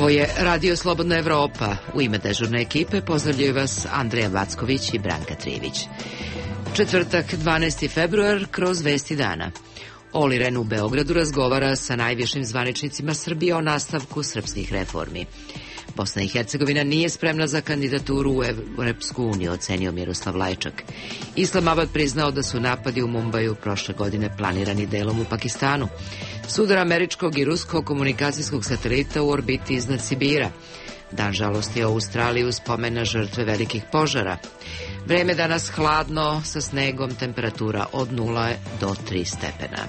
Ovo je Radio Slobodna Evropa. U ime dežurne ekipe pozdravljaju vas Andreja Vacković i Branka Trivić. Četvrtak, 12. februar, kroz vesti dana. Oli Rehn u Beogradu razgovara sa najvišim zvaničnicima Srbije o nastavku srpskih reformi. Bosna i Hercegovina nije spremna za kandidaturu u Evropsku uniju, ocenio Miroslav Lajčak. Islamabad priznao da su napadi u Mumbaju prošle godine planirani delom u Pakistanu. Sudar američkog i ruskog komunikacijskog satelita u orbiti iznad Sibira. Dan žalosti u Australiji u spomen na žrtve velikih požara. Vreme danas hladno, sa snegom, temperatura od 0 do 3 stepena.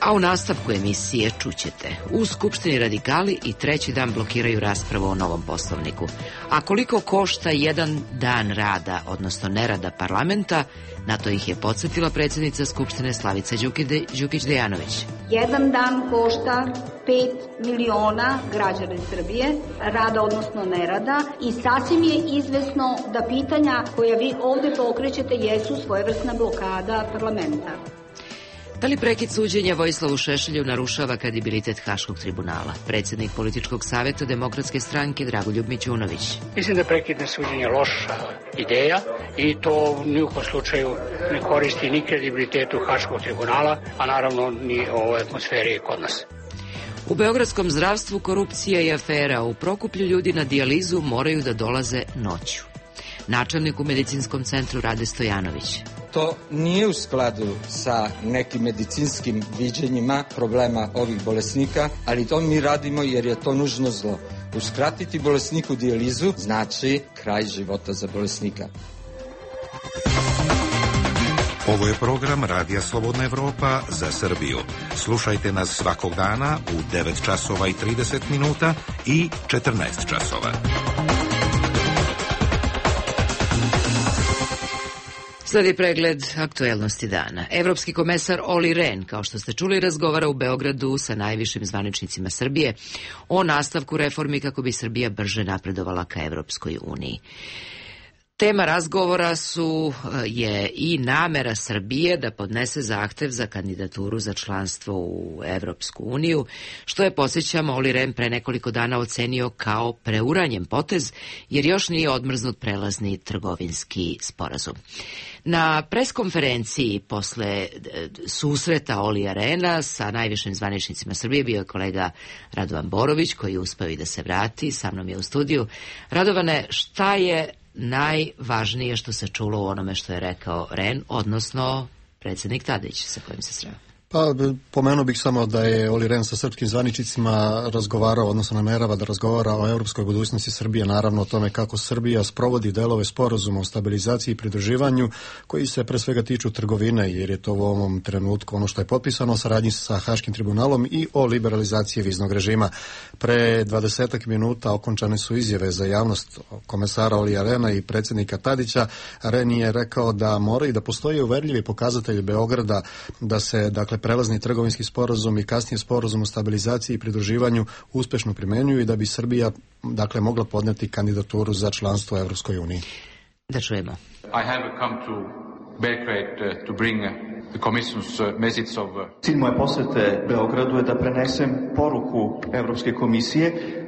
A u nastavku emisije čućete. U Skupštini radikali i treći dan blokiraju raspravu o novom poslovniku. A koliko košta jedan dan rada, odnosno nerada parlamenta, na to ih je podsjetila predsjednica Skupštine Slavica Đukić-Dejanović. Jedan dan košta 5 miliona građana Srbije, rada odnosno nerada, i sasvim je izvesno da pitanja koja vi ovde pokrećete jesu svojevrsna blokada parlamenta. Da li prekid suđenja Vojislavu Šešelju narušava kredibilitet Haškog tribunala? Predsjednik političkog savjeta Demokratske stranke Dragoljub Mićunović. Mislim da je prekidno suđenje loša ideja i to ni u kom slučaju ne koristi ni kredibilitetu Haškog tribunala, a naravno ni ovoj atmosferi kod nas. U beogradskom zdravstvu korupcija i afera. U Prokuplju ljudi na dijalizu moraju da dolaze noću. Načelnik u medicinskom centru Rade Stojanović. To nije u skladu sa nekim medicinskim viđenjima problema ovih bolesnika, ali to mi radimo jer je to nužno zlo. Uskratiti bolesniku dijalizu znači kraj života za bolesnika. Ovo je program Radija Slobodna Evropa za Srbiju. Slušajte nas svakog dana u 9 časova i 30 minuta i 14 časova. Sledi pregled aktuelnosti dana. Evropski komesar Oli Rehn, kao što ste čuli, razgovara u Beogradu sa najvišim zvaničnicima Srbije o nastavku reformi kako bi Srbija brže napredovala ka Evropskoj uniji. Tema razgovora je i namera Srbije da podnese zahtev za kandidaturu za članstvo u Evropsku uniju, što je, podsjećamo, Oli Rehn pre nekoliko dana ocenio kao preuranjen potez, jer još nije odmrznut prelazni trgovinski sporazum. Na preskonferenciji posle susreta Olija Rehna sa najvišim zvaničnicima Srbije bio je kolega Radovan Borović, koji je uspeo i da se vrati, sa mnom je u studiju. Radovane, šta je najvažnije što se čulo u onome što je rekao Rehn, odnosno predsjednik Tadić sa kojim se sreo? Pa, pomenuo bih samo da je Oli Rehn sa srpskim zvaničnicima razgovarao, odnosno namerava da razgovara o evropskoj budućnosti Srbije, naravno o tome kako Srbija sprovodi delove sporazuma o stabilizaciji i pridruživanju, koji se pre svega tiču trgovine, jer je to u ovom trenutku ono što je potpisano o saradnji sa Haškim tribunalom, i o liberalizaciji viznog režima. Pre 20 minuta okončane su izjave za javnost komesara Olija Rehna i predsjednika Tadića. Rehn je rekao da moraju da postoje uverljivi pokazatelji Beograda da se, dakle, prelazni trgovinski sporazum i kasnije sporazum o stabilizaciji i pridruživanju uspešno primenjuju i da bi Srbija, dakle, mogla podneti kandidaturu za članstvo u Evropskoj uniji. Da čujemo. I have come to Belgrade to bring the Commission's message of... Cilj moje posete Beogradu je da prenesem poruku Evropske komisije,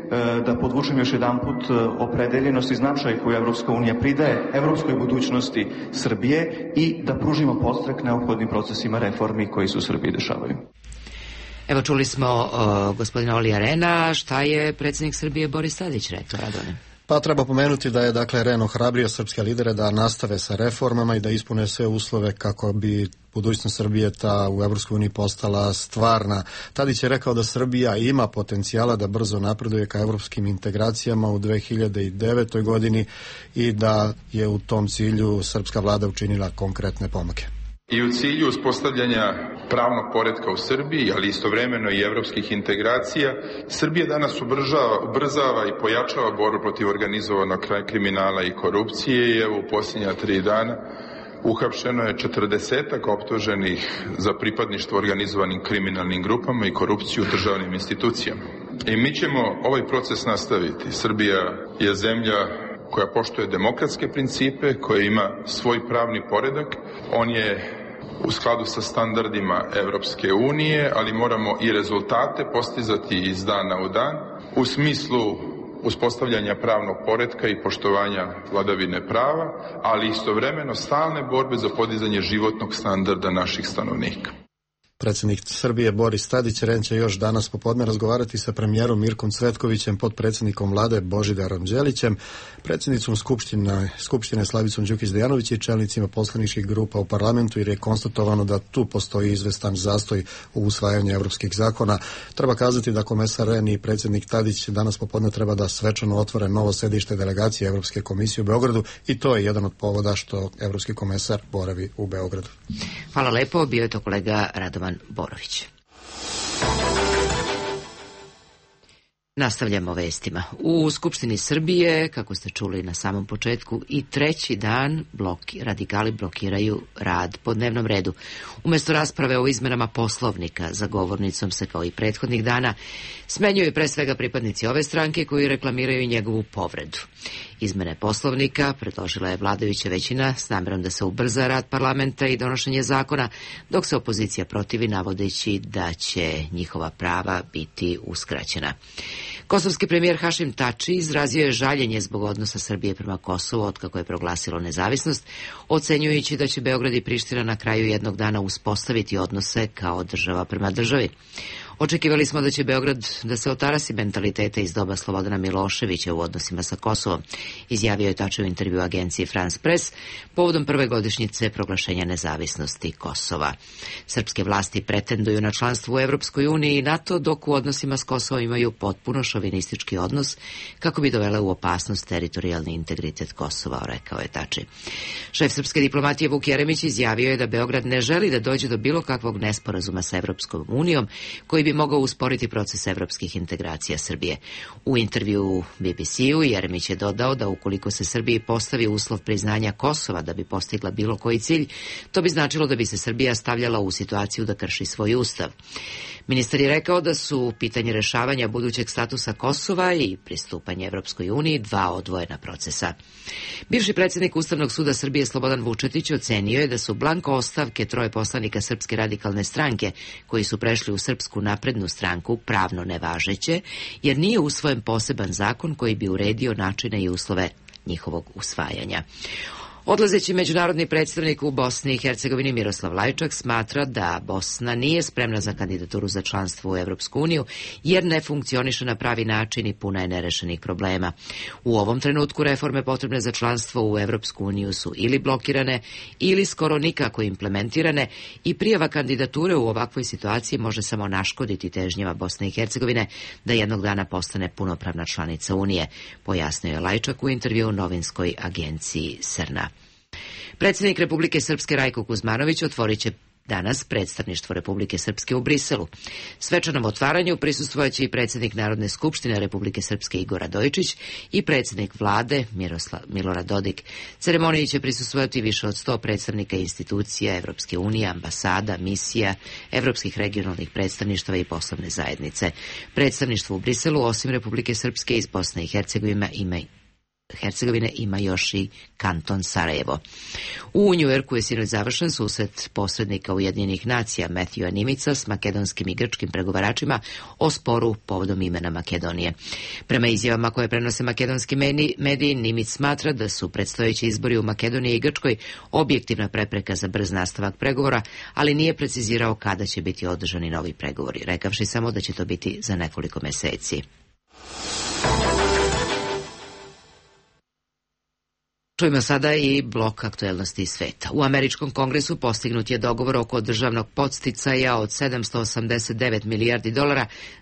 da podvučem još jedanput opredeljenost i značaj koju Evropska unija pridaje evropskoj budućnosti Srbije i da pružimo podstrek neophodnim procesima reformi koji se u Srbiji dešavaju. Evo, čuli smo gospodina Olija Rehna. Šta je predsjednik Srbije Boris Tadić rekao, Radone? Pa treba pomenuti da je, dakle, Rehn ohrabrio srpske lidere da nastave sa reformama i da ispune sve uslove kako bi budućnost Srbije u Evropskoj uniji postala stvarna. Tadić je rekao da Srbija ima potencijala da brzo napreduje ka evropskim integracijama u 2009. godini i da je u tom cilju srpska vlada učinila konkretne pomake. I u cilju uspostavljanja pravnog poretka u Srbiji, ali istovremeno i evropskih integracija, Srbija danas ubrzava i pojačava borbu protiv organizovanog kriminala i korupcije i evo u posljednja 3 dana uhapšeno je 40-ak optuženih za pripadništvo organizovanim kriminalnim grupama i korupciju u državnim institucijama. I mi ćemo ovaj proces nastaviti. Srbija je zemlja koja poštuje demokratske principe, koja ima svoj pravni poredak. On je u skladu sa standardima Evropske unije, ali moramo i rezultate postizati iz dana u dan u smislu uspostavljanja pravnog poretka i poštovanja vladavine prava, ali istovremeno stalne borbe za podizanje životnog standarda naših stanovnika. Predsjednik Srbije Boris Tadić će još danas popodne razgovarati sa premijerom Mirkom Cvetkovićem, potpredsjednikom vlade Božidarom Đelićem, predsjednicom Skupštine Slavicom Đukić-Dejanović i čelnicima poslaničkih grupa u parlamentu, jer je konstatovano da tu postoji izvestan zastoj u usvajanju evropskih zakona. Treba kazati da komesar Rehn i predsjednik Tadić danas popodne treba da svečano otvore novo sedište delegacije Evropske komisije u Beogradu i to je jedan od povoda što evropski komesar boravi u Beogradu. Hvala lepo, bio je to kolega Radovan Borović. Nastavljamo vestima. U Skupštini Srbije, kako ste čuli na samom početku, i treći dan radikali blokiraju rad po dnevnom redu. Umjesto rasprave o izmenama Poslovnika, za govornicom se kao i prethodnih dana smenjuju pre svega pripadnici ove stranke koji reklamiraju njegovu povredu. Izmene Poslovnika predložila je vladajuća većina s namjerom da se ubrza rad parlamenta i donošenje zakona, dok se opozicija protivi navodeći da će njihova prava biti uskraćena. Kosovski premijer Hašim Tači izrazio je žaljenje zbog odnosa Srbije prema Kosovu otkako je proglasilo nezavisnost, ocenjujući da će Beograd i Priština na kraju jednog dana uspostaviti odnose kao država prema državi. Očekivali smo da će Beograd da se otarasi mentaliteta iz doba Slobodana Miloševića u odnosima sa Kosovom, izjavio je Tači u intervju agenciji France Press povodom prve godišnjice proglašenja nezavisnosti Kosova. Srpske vlasti pretenduju na članstvo u Evropskoj uniji i NATO, dok u odnosima s Kosovom imaju potpuno šovinistički odnos kako bi dovele u opasnost teritorijalni integritet Kosova, rekao je Tači. Šef srpske diplomatije Vuk Jeremić izjavio je da Beograd ne želi da dođe do bilo kakvog nesporazuma sa Evropskom unijom koji bi mogao usporiti proces evropskih integracija Srbije. U intervju BBC-u Jeremić je dodao da ukoliko se Srbiji postavi uslov priznanja Kosova da bi postigla bilo koji cilj, to bi značilo da bi se Srbija stavljala u situaciju da krši svoj ustav. Ministar je rekao da su pitanje rešavanja budućeg statusa Kosova i pristupanje Evropskoj uniji dva odvojena procesa. Bivši predsjednik Ustavnog suda Srbije Slobodan Vučetić ocenio je da su blanko ostavke troje poslanika Srpske radikalne stranke koji su prešli u Srpsku naprednu stranku pravno nevažeće, jer nije usvojen poseban zakon koji bi uredio načine i uslove njihovog usvajanja. Odlazeći međunarodni predstavnik u Bosni i Hercegovini Miroslav Lajčak smatra da Bosna nije spremna za kandidaturu za članstvo u Evropsku uniju jer ne funkcioniše na pravi način i puna je nerešenih problema. U ovom trenutku reforme potrebne za članstvo u Evropsku uniju su ili blokirane ili skoro nikako implementirane i prijava kandidature u ovakvoj situaciji može samo naškoditi težnjama Bosne i Hercegovine da jednog dana postane punopravna članica Unije, pojasnio je Lajčak u intervju novinskoj agenciji Srna. Predsjednik Republike Srpske Rajko Kuzmanović otvorit će danas predstavništvo Republike Srpske u Briselu. Svečanom otvaranju prisustvojaće i predsjednik Narodne skupštine Republike Srpske Igor Radojičić i predsjednik vlade Milorad Dodik. Ceremoniji će prisustvovati više od 100 predstavnika institucija Evropske unije, ambasada, misija, evropskih regionalnih predstavništava i poslovne zajednice. Predstavništvo u Briselu, osim Republike Srpske, iz Bosne i Hercegovine ima još i kanton Sarajevo. U Njujorku je sinoć završen susret posrednika Ujedinjenih nacija Matthewa Nimica s makedonskim i grčkim pregovaračima o sporu povodom imena Makedonije. Prema izjavama koje prenose makedonski mediji, Nimic smatra da su predstojeći izbori u Makedoniji i Grčkoj objektivna prepreka za brz nastavak pregovora, ali nije precizirao kada će biti održani novi pregovori, rekavši samo da će to biti za nekoliko meseci. Čujemo sada i blok aktuelnosti iz sveta. U američkom kongresu postignut je dogovor oko državnog podsticaja od $789 milijardi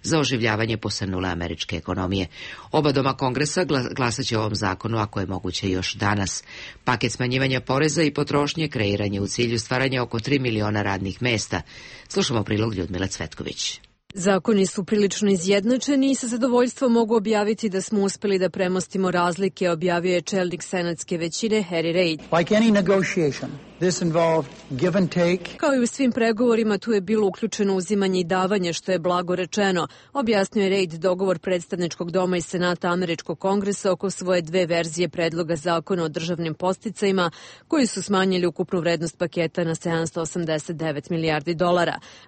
za oživljavanje posrnule američke ekonomije. Oba doma kongresa glasat će o ovom zakonu ako je moguće još danas. Paket smanjivanja poreza i potrošnje kreiran je u cilju stvaranja oko 3 miliona radnih mesta. Slušamo prilog Ljudmile Cvetković. Zakoni su prilično izjednačeni i sa zadovoljstvom mogu objaviti da smo uspeli da premostimo razlike, objavio je čelnik senatske većine Harry Reid. Kao i u svim pregovorima, tu je bilo uključeno uzimanje i davanje, što je blago rečeno, objasnio je Reid dogovor predstavničkog doma i Senata Američkog kongresa oko svoje dve verzije predloga zakona o državnim podsticajima, koji su smanjili ukupnu vrednost paketa na $789 milijardi.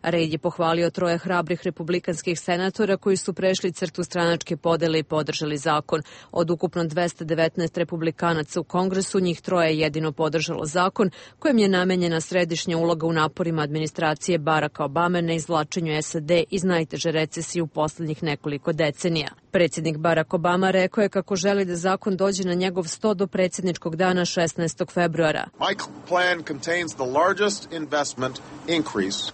Reid je pohvalio troje hrabrih republikanskih senatora koji su prešli crtu stranačke podele i podržali zakon. Od ukupno 219 republikanaca u Kongresu, njih troje je jedino podržalo zakon kojem je namenjena središnja uloga u naporima administracije Baracka Obame na izvlačenju SAD iz najteže recesije u poslednjih nekoliko decenija. Predsjednik Barack Obama rekao je kako želi da zakon dođe na njegov sto do predsjedničkog dana 16. februara.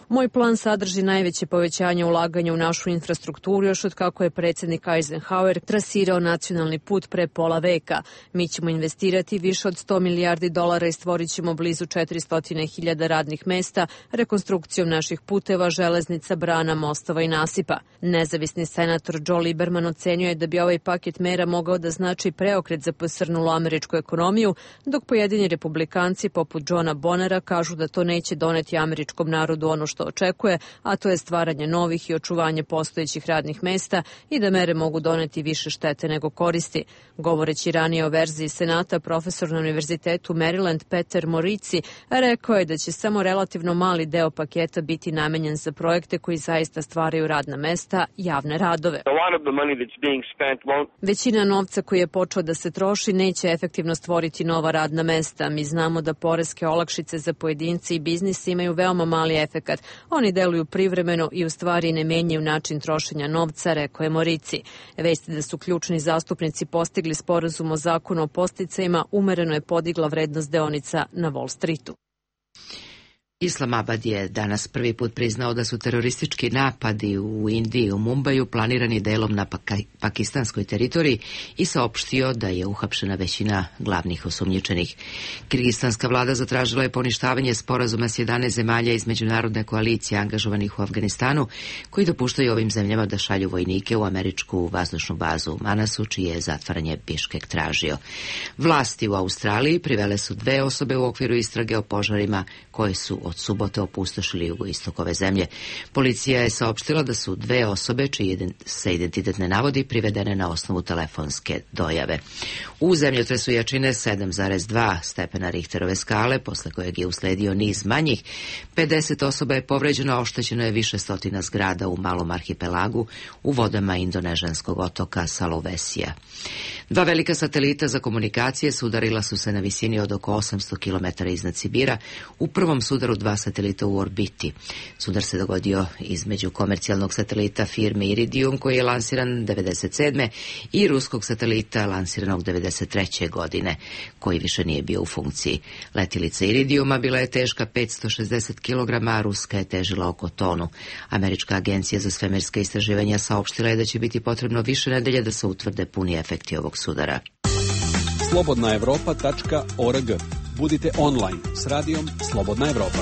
Moj plan sadrži najveće povećanje ulaganja u našu infrastrukturu još od kako je predsjednik Eisenhower trasirao nacionalni put pre pola veka. Mi ćemo investirati više od $100 milijardi i stvorit ćemo blizu 400.000 radnih mesta rekonstrukcijom naših puteva, železnica, brana, mostova i nasipa. Nezavisni senator Joe Lieberman ocenio je da bi ovaj paket mera mogao da znači preokret za posrnulu američku ekonomiju, dok pojedini republikanci poput Johna Bonera kažu da to neće doneti američkom narodu ono što očekuje, a to je stvaranje novih i očuvanje postojećih radnih mesta i da mere mogu doneti više štete nego koristi. Govoreći ranije o verziji Senata, profesor na Univerzitetu Maryland Peter Morici rekao je da će samo relativno mali deo paketa biti namenjen za projekte koji zaista stvaraju radna mesta, javne radove. Većina novca koji je počeo da se troši neće efektivno stvoriti nova radna mesta. Mi znamo da poreske olakšice za pojedince i biznis imaju veoma mali efekat. Oni deluju privremeno i u stvari ne menjaju način trošenja novca, rekao je Morici. Vesti da su ključni zastupnici postigli sporazum o zakonu o podsticajima umereno je podigla vrednost deonica na Wall Streetu. Islamabad je danas prvi put priznao da su teroristički napadi u Indiji i u Mumbaju planirani delom na pakistanskoj teritoriji i saopštio da je uhapšena većina glavnih osumnjičenih. Kirgistanska vlada zatražila je poništavanje sporazuma s 11 zemalja iz međunarodne koalicije angažovanih u Afganistanu, koji dopuštaju ovim zemljama da šalju vojnike u američku vazdušnu bazu u Manasu, čije je zatvaranje Biškek tražio. Vlasti u Australiji privele su 2 osobe u okviru istrage o požarima koje su od subote opustošili jugoistok ove zemlje. Policija je saopštila da su 2 osobe, čiji se identitet ne navodi, privedene na osnovu telefonske dojave. U zemljotresu jačine 7,2 stepena Richterove skale, posle kojeg je usledio niz manjih, 50 osoba je povređeno, a oštećeno je više stotina zgrada u malom arhipelagu u vodama indonežanskog otoka Sulawesija. 2 velika satelita za komunikacije sudarila su se na visini od oko 800 km iznad Sibira, u prvom sudaru 2 satelita u orbiti. Sudar se dogodio između komercijalnog satelita firme Iridium, koji je lansiran 1997. i ruskog satelita lansiranog 1993. godine, koji više nije bio u funkciji. Letilica Iridiuma bila je teška 560 kg, a ruska je težila oko tonu. Američka agencija za svemirska istraživanja saopštila je da će biti potrebno više nedelje da se utvrde puni efekti ovog sudara. slobodnaevropa.org. Budite online s radijom Slobodna Evropa.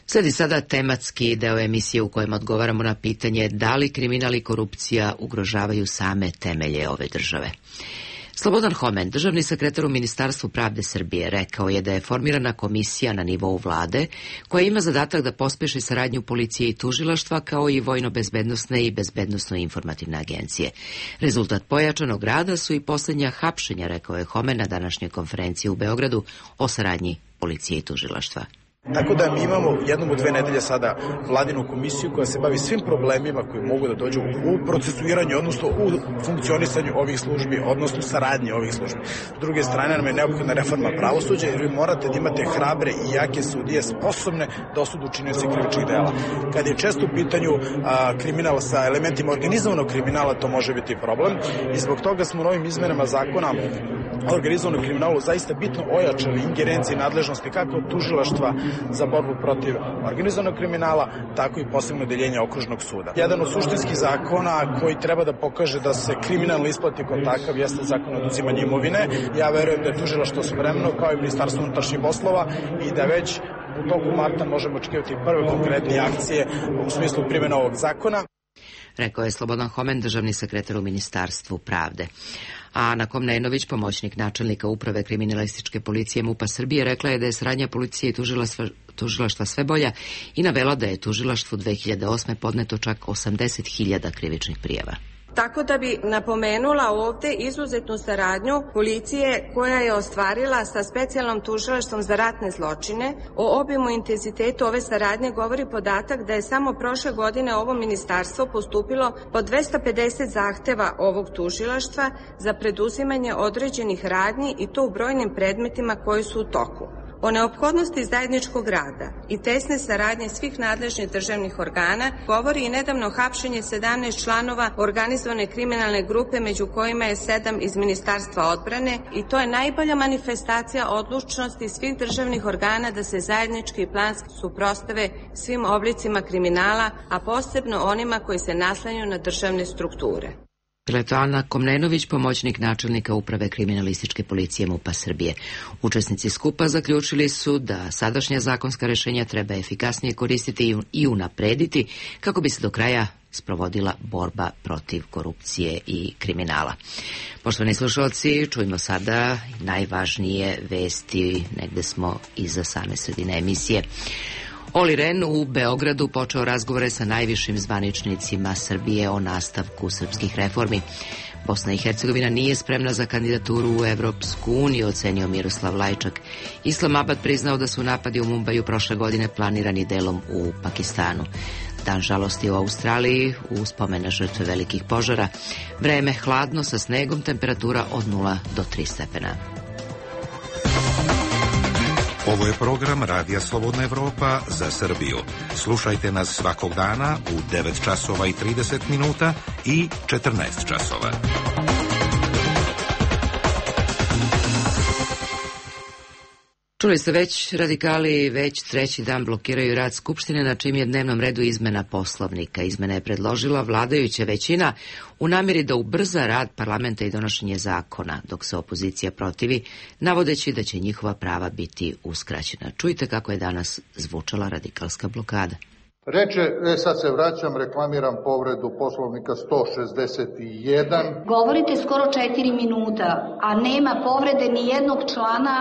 Sledi sada tematski deo emisije u kojem odgovaramo na pitanje da li kriminal i korupcija ugrožavaju same temelje ove države. Slobodan Homen, državni sekretar u Ministarstvu pravde Srbije, rekao je da je formirana komisija na nivou vlade koja ima zadatak da pospeši saradnju policije i tužilaštva kao i vojno-bezbednosne i bezbednosno-informativne agencije. Rezultat pojačanog rada su i posljednja hapšenja, rekao je Homen na današnjoj konferenciji u Beogradu o saradnji policije i tužilaštva. Tako da mi imamo jednom u 2 nedelje sada vladinu komisiju koja se bavi svim problemima koji mogu da dođu u procesuiranju, odnosno u funkcionisanju ovih službi, odnosno saradnji ovih službi. S druge strane nam je neophodna reforma pravosuđa jer vi morate da imate hrabre i jake sudije sposobne da osudu činioce krivičnih dela. Kad je često u pitanju kriminal sa elementima organizovanog kriminala, to može biti problem i zbog toga smo novim izmenama zakona o organizovanom kriminalu zaista bitno ojačali ingerencije i nadležnosti kako tužilaštva za borbu protiv organizovanog kriminala, tako i posebno odeljenje okružnog suda. Jedan od suštinskih zakona koji treba da pokaže da se kriminalno isplati kao takav jeste zakon o oduzimanju imovine. Ja verujem da je tužilaštvo spremno kao i Ministarstvo unutrašnjih poslova i da već u toku marta možemo očekivati prve konkretne akcije u smislu primjene ovog zakona. rekao je Slobodan Homen, državni sekretar u Ministarstvu pravde. A Ana Komnenović, pomoćnik načelnika uprave kriminalističke policije MUP-a Srbije, rekla je da je saradnja policije i tužilaštva sve bolja i navela da je tužilaštvu 2008. podneto čak 80.000 krivičnih prijava. Tako da bi napomenula ovde izuzetnu saradnju policije koja je ostvarila sa specijalnom tužilaštvom za ratne zločine. O obimu i intenzitetu ove saradnje govori podatak da je samo prošle godine ovo ministarstvo postupilo po 250 zahteva ovog tužilaštva za preduzimanje određenih radnji i to u brojnim predmetima koji su u toku. O neophodnosti zajedničkog rada i tesne saradnje svih nadležnih državnih organa govori i nedavno hapšenje 17 članova organizovane kriminalne grupe, među kojima je 7 iz Ministarstva odbrane, i to je najbolja manifestacija odlučnosti svih državnih organa da se zajednički i planski suprotstave svim oblicima kriminala, a posebno onima koji se naslanjaju na državne strukture. Bila je to Ana Komnenović, pomoćnik načelnika uprave kriminalističke policije MUP-a Srbije. Učesnici skupa zaključili su da sadašnja zakonska rešenja treba efikasnije koristiti i unaprediti kako bi se do kraja sprovodila borba protiv korupcije i kriminala. Poštovani slušalci, čujmo sada najvažnije vesti, negde smo iza same sredine emisije. Olli Rehn u Beogradu počeo razgovore sa najvišim zvaničnicima Srbije o nastavku srpskih reformi. Bosna i Hercegovina nije spremna za kandidaturu u Evropsku uniju, ocenio Miroslav Lajčak. Islamabad priznao da su napadi u Mumbaju prošle godine planirani delom u Pakistanu. Dan žalosti u Australiji, u spomen na žrtve velikih požara. Vreme hladno sa snegom, temperatura od 0 do 3 stepena. Ovo je program Radija Slobodna Evropa za Srbiju. Slušajte nas svakog dana u 9 časova i 30 minuta i 14 časova. Čuli ste već, radikali već treći dan blokiraju rad Skupštine, na čim je dnevnom redu izmena Poslovnika. Izmena je predložila vladajuća većina u namjeri da ubrza rad parlamenta i donošenje zakona, dok se opozicija protivi, navodeći da će njihova prava biti uskraćena. Čujte kako je danas zvučala radikalska blokada. Reče, sad se vraćam, reklamiram povredu Poslovnika 161. Govorite skoro 4 minuta, a nema povrede ni jednog člana.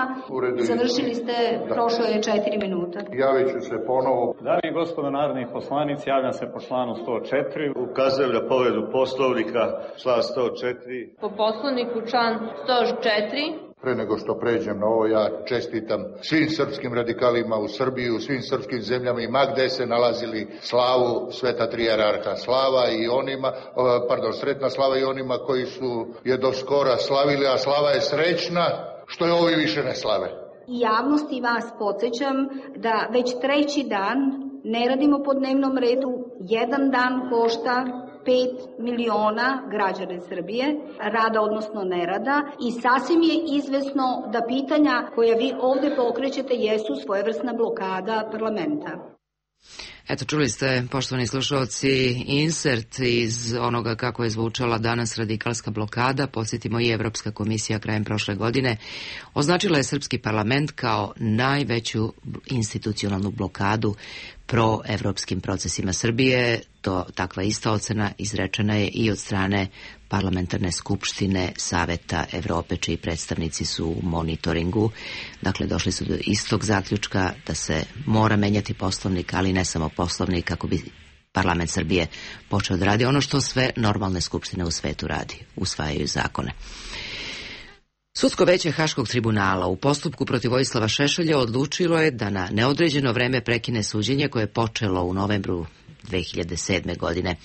Završili ste, prošlo je 4 minuta. Javit ću se ponovo. Dame i gospodo narodni poslanici, javljam se po članu 104. Ukazujem na povredu Poslovnika, član 104. Po Poslovniku član 104. Pre nego što pređem na ovo, ja čestitam svim srpskim radikalima u Srbiji, u svim srpskim zemljama i ma gde se nalazili slavu Sveta Trijararha Slava i onima, Sretna Slava i onima koji su je do skora slavili, a slava je srećna što je ovi više ne slave. I javnosti vas podsjećam da već treći dan ne radimo po dnevnom redu, jedan dan košta 5 miliona građana Srbije, rada odnosno nerada, i sasvim je izvesno da pitanja koja vi ovde pokrećete jesu svojevrsna blokada parlamenta. Eto, čuli ste, poštovani slušalci, insert iz onoga kako je zvučala danas radikalska blokada. Podsjetimo, i Evropska komisija krajem prošle godine označila je srpski parlament kao najveću institucionalnu blokadu proevropskim procesima Srbije. Takva ista ocena izrečena je i od strane Parlamentarne skupštine Saveta Evrope, čiji predstavnici su u monitoringu. Dakle, došli su do istog zaključka da se mora menjati Poslovnik, ali ne samo Poslovnik, kako bi parlament Srbije počeo da radi ono što sve normalne skupštine u svetu radi, usvajaju zakone. Sudsko veće Haškog tribunala u postupku protiv Vojislava Šešelja odlučilo je da na neodređeno vreme prekine suđenje koje je počelo u novembru 2007. godine.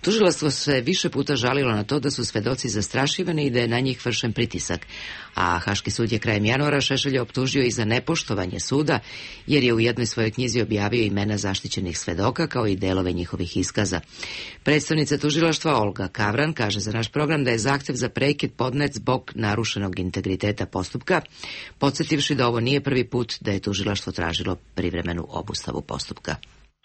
Tužilaštvo se više puta žalilo na to da su svedoci zastrašivani i da je na njih vršen pritisak, a Haški sud je krajem januara Šešelja optužio i za nepoštovanje suda, jer je u jednoj svojoj knjizi objavio imena zaštićenih svedoka kao i delove njihovih iskaza. Predstavnica tužilaštva Olga Kavran kaže za naš program da je zahtev za prekid podnet zbog narušenog integriteta postupka, podsjetivši da ovo nije prvi put da je tužilaštvo tražilo privremenu obustavu postupka.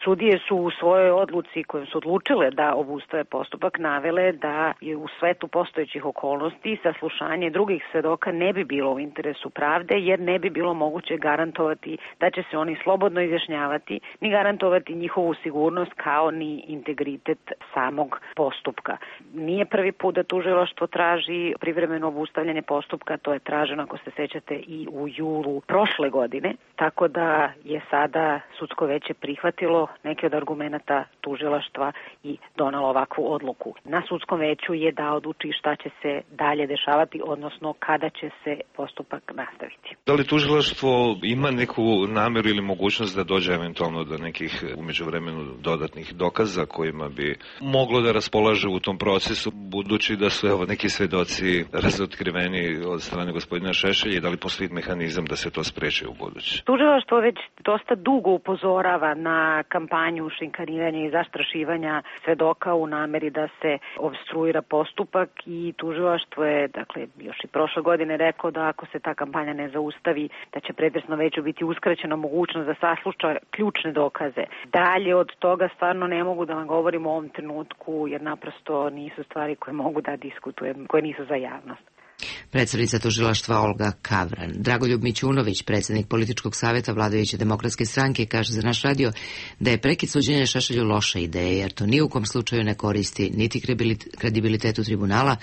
Sudije su u svojoj odluci kojom su odlučile da obustave postupak navele da je u svetu postojećih okolnosti saslušanje drugih svedoka ne bi bilo u interesu pravde, jer ne bi bilo moguće garantovati da će se oni slobodno izjašnjavati, ni garantovati njihovu sigurnost kao ni integritet samog postupka. Nije prvi put da tužilaštvo traži privremeno obustavljanje postupka, to je traženo, ako se sećate, i u julu prošle godine, tako da je sada sudsko veće prihvatilo neke od argumenata tužilaštva i donelo ovakvu odluku. Na sudskom veću je da odluči šta će se dalje dešavati, odnosno kada će se postupak nastaviti. Da li tužilaštvo ima neku nameru ili mogućnost da dođe eventualno do nekih u međuvremenu dodatnih dokaza kojima bi moglo da raspolaže u tom procesu, budući da su neki svedoci razotkriveni od strane gospodina Šešelja, i da li postoji mehanizam da se to spreči u buduće? Tužilaštvo već dosta dugo upozorava na kampanju šikaniranja i zastrašivanja svedoka u nameri da se opstruira postupak, i tužilaštvo je, još i prošle godine rekao da ako se ta kampanja ne zaustavi, da će pretresno veću biti uskraćena mogućnost da sasluša ključne dokaze. Dalje od toga stvarno ne mogu da vam govorim u ovom trenutku, jer naprosto nisu stvari koje mogu da diskutujem, koje nisu za javnost. Predsednica tužilaštva Olga Kavran. Dragoljub Mićunović, predsednik političkog saveta vladajuće demokratske stranke, kaže za naš radio da je prekid suđenja Šešelju loša ideja, jer to ni u kom slučaju ne koristi niti kredibilitetu tribunala,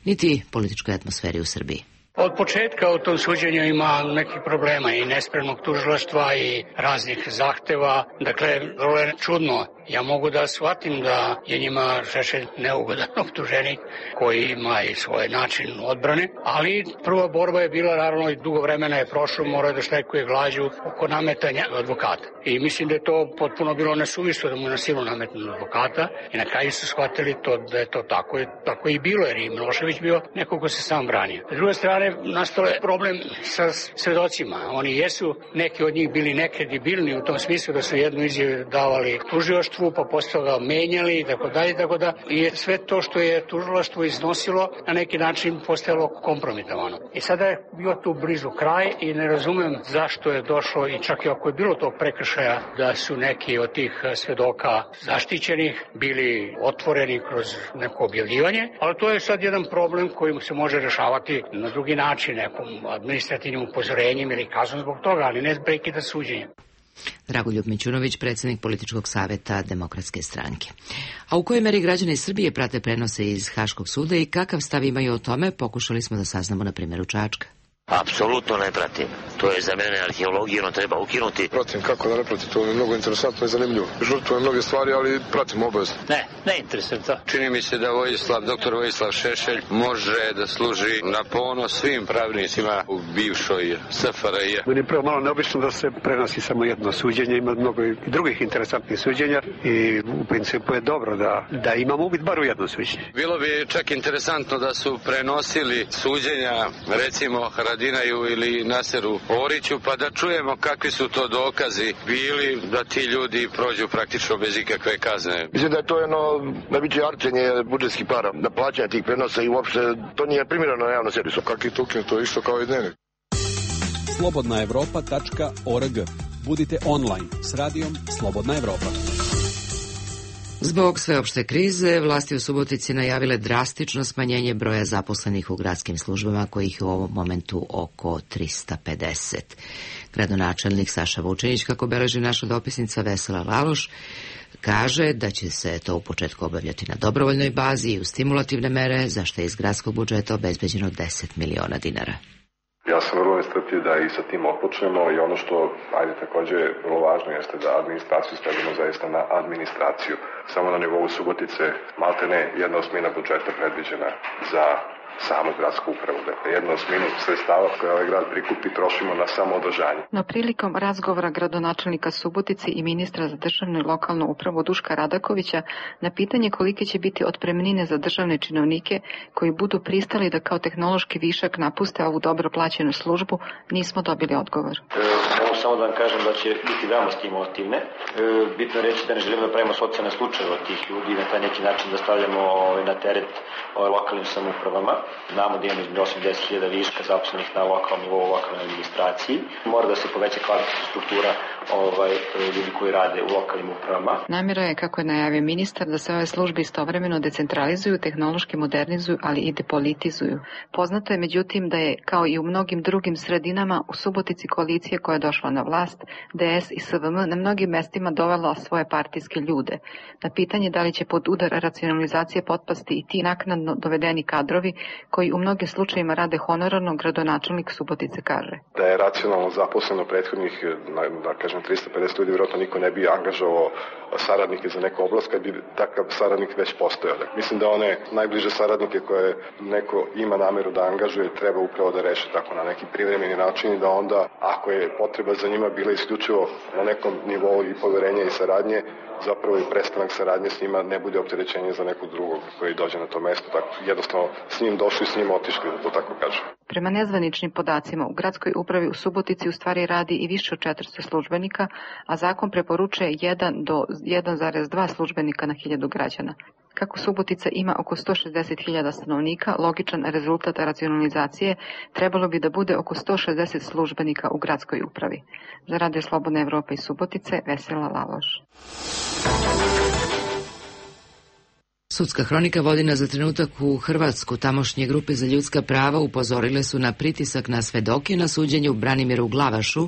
niti političkoj atmosferi u Srbiji. Od početka u tom suđenju ima nekih problema i nespremnog tužilaštva i raznih zahteva. Dakle, vrlo je čudno. Ja mogu da shvatim da je njima Šešelj neugodan optuženik koji ima i svoj način odbrane, ali prva borba je bila, naravno, i dugo vremena je prošlo, morao da štrajkuje glađu oko nametanja advokata. I mislim da je to potpuno bilo nesuvislo da mu na silu nametnu advokata, i na kraju su shvatili to da je to tako. Tako i bilo, jer i Milošević bio neko ko se sam branio. S druge strane, nastao je problem sa svedocima. Oni jesu, neki od njih bili nekredibilni u tom smislu da su jednu izjavu davali tužilaštvu, pa posle ga menjali i tako da. I sve to što je tužilaštvo iznosilo na neki način postajalo kompromitovano. I sada je bio tu blizu kraj i ne razumem zašto je došlo, i čak i ako je bilo tog prekršaja, da su neki od tih svedoka zaštićenih bili otvoreni kroz neko objavljivanje, ali to je sad jedan problem koji se može rešavati na drugi način, nekom administrativnim upozorenjem ili kaznom zbog toga, ali ne prekida suđenja. Dragoljub Mićunović, predsednik političkog saveta Demokratske stranke. A u kojoj meri građani Srbije prate prenose iz Haškog suda i kakav stav imaju o tome, pokušali smo da saznamo na primjeru Čačka. Apsolutno ne pratim. To je za mene arheologija, ono treba ukinuti. Pratim, kako da ne pratim, to je mnogo interesantno i zanimljivo. Žrtvujem mnoge stvari, ali pratim obavezno. Ne interesantno. Čini mi se da doktor Vojislav Šešelj može da služi na ponos svim pravnicima u bivšoj SFRJ. Meni je prvo malo neobično da se prenosi samo jedno suđenje, ima mnogo i drugih interesantnih suđenja i u principu je dobro da imamo uvid bar u jedno suđenje. Bilo bi čak interesantno da su prenosili suđenja, recimo Haradinaju ili Naseru Oriću, pa da čujemo kakvi su to dokazi bili da ti ljudi prođu praktično bez ikakve kazne. Mislim da je to jedno najveće arčenje budžetskih para, da plaćanja tih prenosa, i uopšte to nije primjereno na javnom servisu. Kakvi tukin, to je isto kao i dnevnik. Slobodnaevropa.org. Budite online s radijom Slobodna Evropa. Zbog sveopšte krize, vlasti u Subotici najavile drastično smanjenje broja zaposlenih u gradskim službama, kojih je u ovom momentu oko 350. Gradonačelnik Saša Vučinić, kako beleži naša dopisnica Vesela Laloš, kaže da će se to u početku obavljati na dobrovoljnoj bazi i u stimulativne mere, za što je iz gradskog budžeta obezbeđeno 10 miliona dinara. Ja sam vrlo nestrpljiv da i sa tim otpočnemo, i ono što, takođe vrlo važno jeste da administraciju stavimo zaista na administraciju. Samo na nivou Subotice maltene 1/8 budžeta predviđena za samu gradsku upravu. Dakle, 1/8 sredstava koje ovaj grad prikupi trošimo na samoodržanje. No prilikom razgovora gradonačelnika Subotice i ministra za državnu i lokalnu upravu Duška Radakovića na pitanje kolike će biti otpremnine za državne činovnike koji budu pristali da kao tehnološki višak napuste ovu dobro plaćenu službu, nismo dobili odgovor. Ovo Može samo da vam kažem da će biti veoma stimulativne. Bitno je reći da ne želimo da pravimo socijalne slučajeve od tih ljudi i na taj neki način da stavljamo na teret lokalnim samoupravama. Znamo da imamo između 80.000 viška zaposlenih na lokalnom nivou, lokalnoj administraciji. Mora da se poveća kvalitetna struktura ljudi koji rade u lokalnim upravama. Namjera je, kako je najavio ministar, da se ove službe istovremeno decentralizuju, tehnološki modernizuju, ali i depolitizuju. Poznato je međutim da je, kao i u mnogim drugim sredinama, u Subotici koalicija koja je došla na vlast, DS i SVM, na mnogim mestima dovela svoje partijske ljude. Na pitanje da li će pod udar racionalizacije potpasti i ti naknadno dovedeni kadrovi, koji u mnogim slučajima rade honorarno, gradonačelnik Subotice kaže: Da je racionalno zaposleno prethodnih, da kažem, 350 ljudi, vjerojatno niko ne bi angažovao saradnike za neku oblast kad bi takav saradnik već postojao. Mislim da one najbliže saradnike koje neko ima nameru da angažuje treba upravo da reše tako na neki privremeni način i da onda, ako je potreba za njima bila isključivo na nekom nivou i poverenja i saradnje, zapravo i prestanak saradnje s njima ne bude opterećenje za nekog drugog koji dođe na to mesto. Tako, jednostavno s njim došli, s njim otišli, da to tako kažem. Prema nezvaničnim podacima, u gradskoj upravi u Subotici u stvari radi i više od 400 službenika, a zakon preporučuje 1 do 1,2 službenika na 1000 građana. Kako Subotica ima oko 160.000 stanovnika, logičan rezultat racionalizacije trebalo bi da bude oko 160 službenika u gradskoj upravi. Za Radio Slobodna Evropa iz Subotice, Vesela Laloš. Sudska hronika vodi nas za trenutak u Hrvatsku. Tamošnje grupe za ljudska prava upozorile su na pritisak na svedoke na suđenju Branimiru Glavašu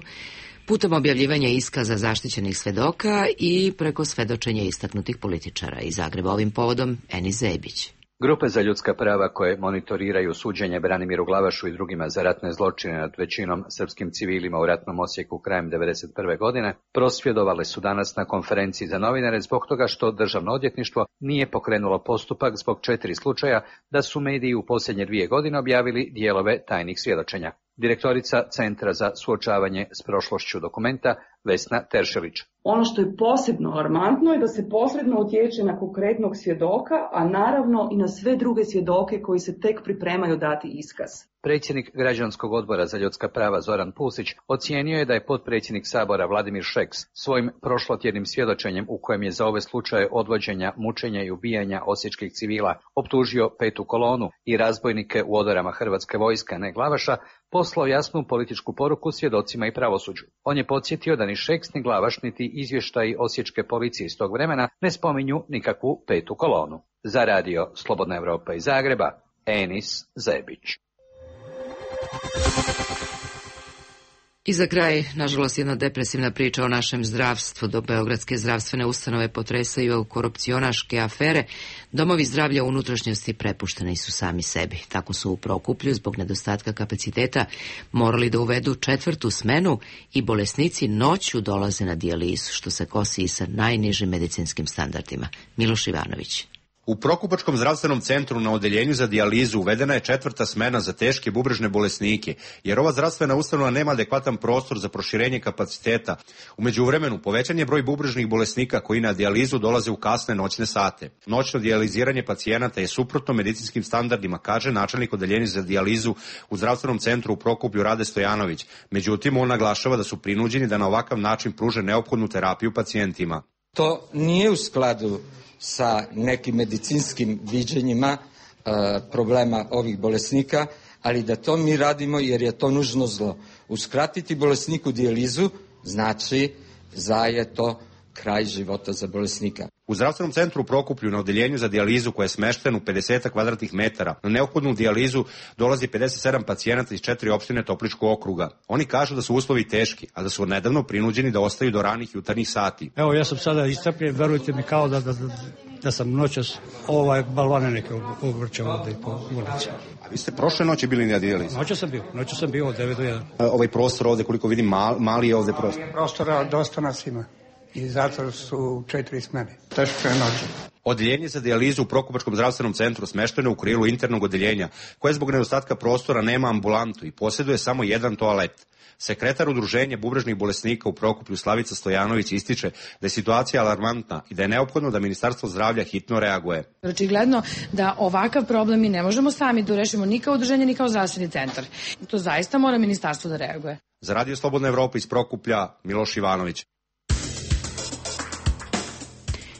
putem objavljivanja iskaza zaštićenih svedoka i preko svedočenja istaknutih političara. Iz Zagreba ovim povodom Enis Zebić. Grupe za ljudska prava koje monitoriraju suđenje Branimiru Glavašu i drugima za ratne zločine nad većinom srpskim civilima u ratnom Osijeku krajem 1991. godine prosvjedovale su danas na konferenciji za novinare zbog toga što Državno odvjetništvo nije pokrenulo postupak zbog 4 slučaja da su mediji u posljednje 2 godine objavili dijelove tajnih svjedočenja. Direktorica Centra za suočavanje s prošlošću Dokumenta, Vesna Teršelić. Ono što je posebno alarmantno je da se posredno utječe na konkretnog svjedoka, a naravno i na sve druge svjedoke koji se tek pripremaju dati iskaz. Predsjednik Građanskog odbora za ljudska prava Zoran Pusić ocijenio je da je potpredsjednik Sabora Vladimir Šeks svojim prošlotjednim svjedočenjem u kojem je za ove slučaje odvođenja, mučenja i ubijanja osječkih civila optužio 5. kolonu i razbojnike u odorama Hrvatske vojske, ne Glavaša, poslao jasnu političku poruku svjedocima i pravosuđu. On je podsjetio da ni Šeks ni Glavaš niti izvještaji osječke policije iz tog vremena ne spominju nikakvu 5. kolonu. Za Radio Slobodna Evropa iz Zagreba, Enis Zebić. I za kraj, nažalost, jedna depresivna priča o našem zdravstvu. Do beogradske zdravstvene ustanove potresaju korupcionaške afere. Domovi zdravlja u unutrašnjosti prepušteni su sami sebi. Tako su u Prokuplju zbog nedostatka kapaciteta morali da uvedu 4. smenu i bolesnici noću dolaze na dijalizu, što se kosi i sa najnižim medicinskim standardima. Miloš Ivanović. U Prokupačkom zdravstvenom centru na odeljenju za dijalizu uvedena je 4. smena za teške bubrežne bolesnike, jer ova zdravstvena ustanova nema adekvatan prostor za proširenje kapaciteta. U međuvremenu povećan je broj bubrežnih bolesnika koji na dijalizu dolaze u kasne noćne sate. Noćno dijaliziranje pacijenata je suprotno medicinskim standardima, kaže načelnik odeljenja za dijalizu u zdravstvenom centru u Prokuplju Rade Stojanović. Međutim, on naglašava da su prinuđeni da na ovakav način pruže neophodnu terapiju pacijentima. To nije u skladu sa nekim medicinskim viđenjima problema ovih bolesnika, ali da to mi radimo jer je to nužno zlo. Uskratiti bolesniku dijalizu znači da je to kraj života za bolesnika. U zdravstvenom centru u Prokuplju na odeljenju za dijalizu koje je smešteno u 50 kvadratnih metara na neophodnu dijalizu dolazi 57 pacijenata iz 4 opštine Topličkog okruga. Oni kažu da su uslovi teški, a da su nedavno prinuđeni da ostaju do ranih jutarnjih sati. Evo, ja sam sada istrpljen, verujte mi, kao da sam noćas balvane neke obrćao ovdje po ulici. A vi ste prošle noći bili na dijalizi? Noćas sam bio od 9 do 1. Ovaj prostor ovdje, koliko vidim, mali je ovdje prostor. Prostora dosta nas ima. i zatvor su 4 smene. Teško je noći. Odeljenje za dijalizu u Prokupačkom zdravstvenom centru smešteno je u krilu internog odeljenja, koje zbog nedostatka prostora nema ambulantu i posjeduje samo jedan toalet. Sekretar udruženja bubrežnih bolesnika u Prokuplju Slavica Stojanović ističe da je situacija alarmantna i da je neophodno da Ministarstvo zdravlja hitno reaguje. Očigledno da ovakav problem mi ne možemo sami da rešimo ni kao udruženje ni kao zdravstveni centar. To zaista mora Ministarstvo da reaguje. Za Radio Slobodna Evropa iz Prokuplja, Miloš Ivanović.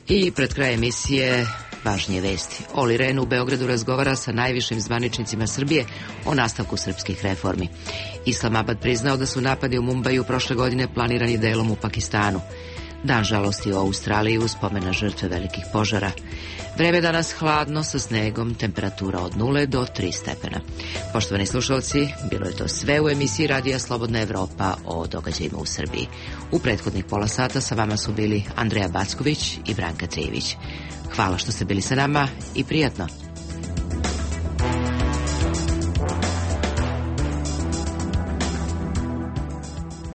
I pred kraj emisije važnije vesti. Oli Ren u Beogradu razgovara sa najvišim zvaničnicima Srbije o nastavku srpskih reformi. Islamabad priznao da su napadi u Mumbaju prošle godine planirani delom u Pakistanu. Dan žalosti u Australiji uz spomen na žrtve velikih požara. Vreme danas hladno sa snegom, temperatura od 0 do 3 stepena. Poštovani slušalci, bilo je to sve u emisiji Radija Slobodna Evropa o događajima u Srbiji. U prethodnih pola sata sa vama su bili Andreja Backović i Branka Trijević. Hvala što ste bili sa nama i prijatno.